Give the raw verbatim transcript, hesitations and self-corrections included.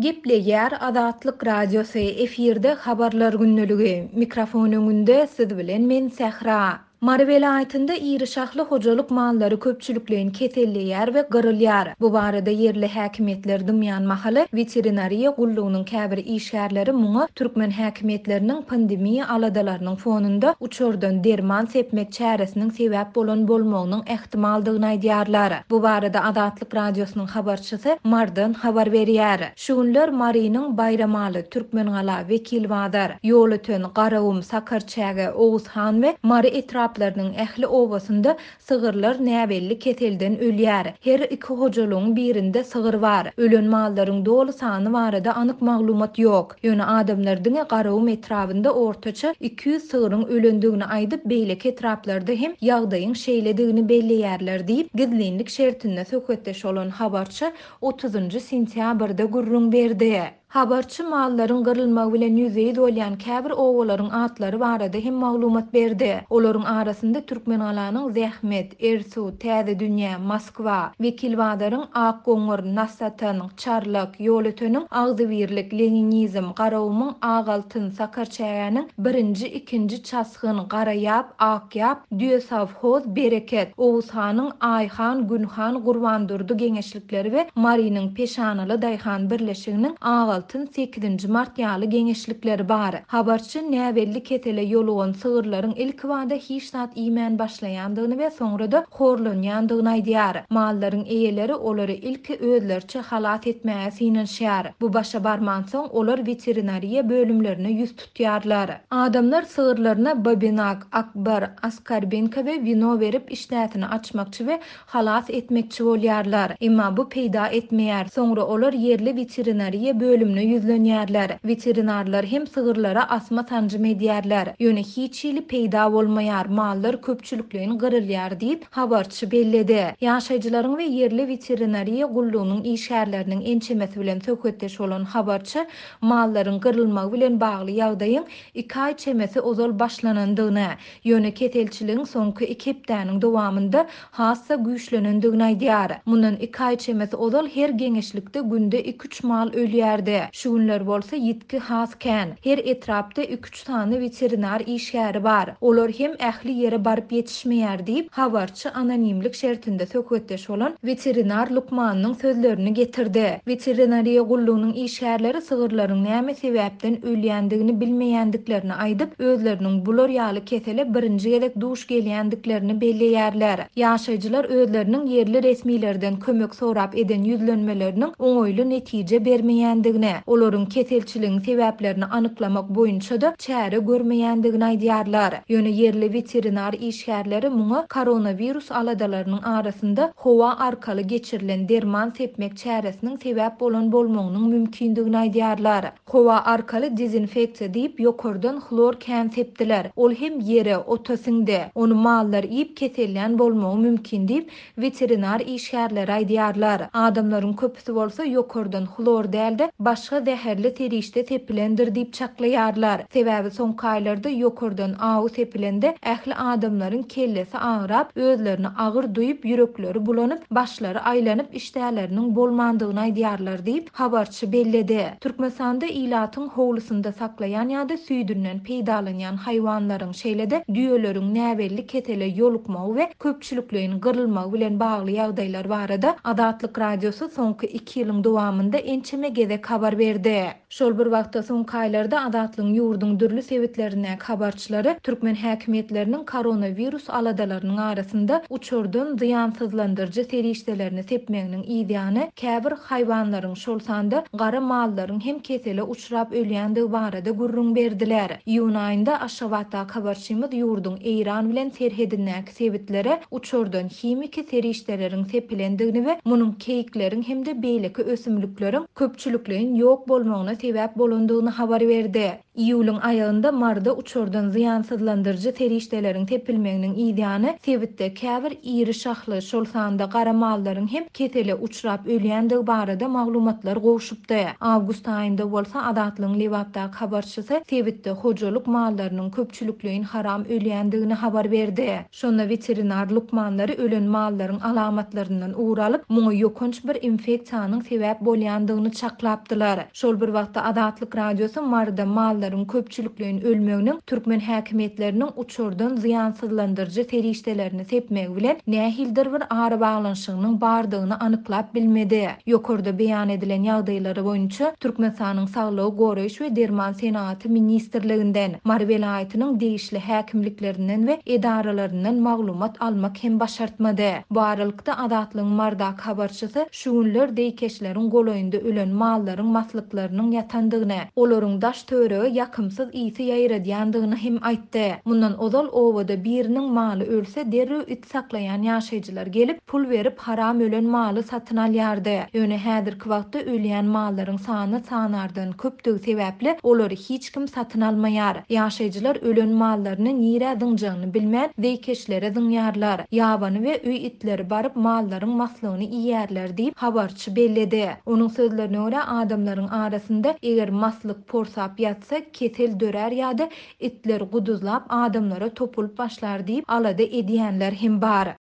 Gepleýär Azatlyk Radiosy, efirde Habarlar gündeligi. Mikrofon öňünde siz bilen men Sähra. Mary welaýatynda iri şahly hojalyk mallary köpçülikleýin keselleýär we gyrylýar. Bu barada ýerli häkimiýetler dymýan mahaly weterinariýa gullugynyň käbir işgärleri muňa türkmen häkimiýetleriniň pandemiýa aladalarynyň fonunda uçardan derman sepmek çäresiniň sebäp bolan bolmagynyň ähtimaldygyny aýdýarlar. Bu barada Azatlyk Radiosynyň habarçysy Mardan habar berýär. Şu günler Marynyň Baýramaly, Türkmengala, Wekilbazar, Ýolöten, Garagum, Sakarçäge, Oguzhan we Mary etrap etraplarynyň ähli obasynda sygyrlar näbelli keselden ölýär. Her iki hojalygyň birinde sygyr bar. Ölen mallaryň doly sany barada anyk maglumat ýok. Ýöne adamlar diňe Garagum etrabynda ortaça iki ýüz sygryň ölendigini aýdyp, beýleki etraplarda hem ýagdaýyň şeýledigini belleýärler diýip, gizlinlik şertinde söhbetdeş bolan habarçy otuzynjy sentýabrda gürrüň berdi. Habarçy mallaryň gyrylmagy bilen ýüzbe-ýüz bolýan käbir obalaryň atlary barada hem maglumat berdi. Olaryň arasynda Türkmengalanyň Zähmet, Ersu, Täze Dünýä, Moskwa, Wekilbazaryň Akgoňur, Nasatan, Çarlak, Ýolöteniň Agzybirlik, Leninizm, Garagumyň Agaltyn, Sakarçägäniň birinji, ikinji Çasgyn, Garaýap, Akýap, Düýesawhoz, Bereket, Oguzhanyň Aýhan, Günhan, Gurbandurdy geňeşlikleri we Marynyň Peşanaly Daýhan birleşiginiň Agaltyn sekizinji mart ýaly geňeşlikleri bar. Habarçy näbelli kesele ýolugan sygyrlaryň ilkibada hiç zat iýmän başlaýandygyny we soňra-da horlanýandygyny aýdýar. Mallaryň eýeleri olary ilki özlerçe halas etmäge synanyşýar. Bu başa barmansoň olar weterinariýa bölümlerine ýüz tutýarlar. Adamlar sygyrlaryna babinak, akbar, askarbinka we wino berip işdäsini açmakçy we halas etmekçi bolýarlar. Emma bu peýda etmeýär. Soňra olar ýerli weterinariýa bölümine ýüzlenýärler. Veterinarlar hem sygyrlara asma sanjym edýärler. Ýöne hiç hili peýda bolmaýar, mallar köpçülikleýin gyrylýar diýip habarçy belledi. Ýaşaýjylaryň we ýerli weterinariýa gullugynyň işgärleriniň ençemesi bilen söhbetdeş bolan habarçy mallaryň gyrylmagy bilen bagly ýagdaýyň iki aý çemesi ozal başlanandygyny, ýöne keselçiligiň soňky iki hepdäniň dowamynda hassa güýçlenendigini aýdýar. Mundan iki aý çemesi ozal her geňeşlikde günde iki-üç mal ölýärdi. Şu günler bolsa ýitgi has kän. Her etrapda iki-üç sany weterinar işgäri bar. Olar hem ähli ýere baryp ýetişmeýär diýip, habarçy anonimlik şertinde söhbetdeş bolan weterinar lukmanynyň sözlerini getirdi. Weterinariýa gullugynyň işgärleri sygyrlaryň näme sebäpden ölýändigini bilmeýändiklerini aýdyp, özleriniň bular ýaly kesele birinji gezek duş gelýändiklerini belleýärler. Ýaşaýjylar özleriniň ýerli resmilerden kömek sorap eden ýüzlenmeleriniň oňaýly netije bermeýändigini, olaryň keselçiligiň sebäplerini anyklamak boýunça da çäre görmeýändigini aýdýarlar. Ýöne ýerli weterinar işgärleri muňa koronawirus aladalarynyň arasynda howa arkaly geçirilen derman sepmek çäresiniň sebäp bolan bolmagynyň mümkindigini aýdýarlar. Howa arkaly dezinfeksiýa diýip ýokardan hlor kän sepdiler. Ol hem ýere, ota siňdi. Ony mallar iýip kesellän bolmagy mümkin diýip weterinar işgärleri aýdýarlar. Adamlaryň köpüsi bolsa ýokardan hlor däl-de başga zäherli serişde sepilendir diýip çaklaýarlar. Sebäbi soňky aýlarda ýokardan awy sepilende ähli adamlaryň kellesi agrap, özlerini agyr duýup, ýürekleri bulanyp, başlary aýlanyp, işdäleriniň bolmandygyny aýdýarlar diýip habarçy belledi. Türkmenistanda ilatyň howlusynda saklaýan ýa-da süýdünden peýdalanýan haýwanlaryň, şeýle-de düýeleriň näbelli kesele ýolukmagy we köpçülikleýin gyrylmagy bilen bagly ýagdaýlar barada Azatlyk Radiosy soňky iki ýylyň dowamynda ençeme gezek habar berdi. Şol bir wagtda soňky aýlarda Azatlygyň ýurduň dürli sebitlerindäki habarçylary türkmen häkimiýetleriniň koronawirus aladalarynyň arasynda uçardan zyýansyzlandyryjy serişdelerini sepmeginiň ýany käbir haýwanlaryň, şol sanda gara mallaryň hem kesele uçrap ölýändigi barada gürrüň berdiler. Iýun aýynda Aşgabatdaky habarçymyz ýurduň Eýran bilen serhedindäki sebitlere uçardan himiki serişdeleriň sepilendigini we munuň keýikleriň hem-de beýleki ösümlikleriň köpçülikleýin ýok bolmagyna sebäp bolandygyny habar berdi. Iýulyň aýagynda Maryda uçardan zyýansyzlandyryjy serişdeleriň sepilmeginiň yzýany sebitde käbir iri şahly, şol sanda gara mallaryň hem kesele uçrap ölýändigi barada maglumatlar gowşupdy. Awgust aýynda bolsa Azatlygyň Lebapdaky habarçysy sebitde hojalyk mallarynyň köpçülikleýin haram ölýändigini habar berdi. Şonda weterinar lukmanlary ölen mallaryň alamatlaryndan ugur alyp, muňa ýokanç bir infeksiýanyň sebäp bolýandygyny çaklapdylar. Şol bir wagtda Azatlyk Radiosy Maryda mallaryň köpçülikleýin ölmeginiň türkmen häkimiýetleriniň uçardan zyýansyzlandyryjy serişdelerini sepmegi bilen nähilidir bir arabaglanyşygynyň bardygyny anyklap bilmedi. Ýokarda beýan edilen ýagdaýlary boýunça Türkmenistanyň Saglygy goraýyş we derman senagaty ministrliginden, Mary welaýatynyň degişli häkimliklerinden we edaralaryndan maglumat almak hem başartmady. Bu aralykda Azatlygyň Marydaky habarçysy şu günler zeýkeşleriň golaýynda ölen mallaryň maslyklarynyň ýatandygyny, olaryň daş töwerege ýakymsyz ysy ýaýradýandygyny hem aýtdy. Mundan ozal obada biriniň maly ölse derrew it saklaýan ýaşaýjylar gelip, pul berip haram ölen maly satyn alýardy. Ýöne häzirki wagtda ölýän mallaryň sany sanardan köpdügi sebäpli olary hiç kim satyn almaýar. Ýaşaýjylar ölen mallaryny nirä zyňjagyny bilmän zeýkeşlere zyňýarlar. Ýabany we öý itleri baryp mallaryň maslygyny iýerler diýip habarçy belledi. Onuň sözlerine görä adamlaryň arasynda eger maslyk porsap ýatsa kesel dörär ýa-da itler guduzlap adamlara topulyp başlar diýip alada edýänler hem bar.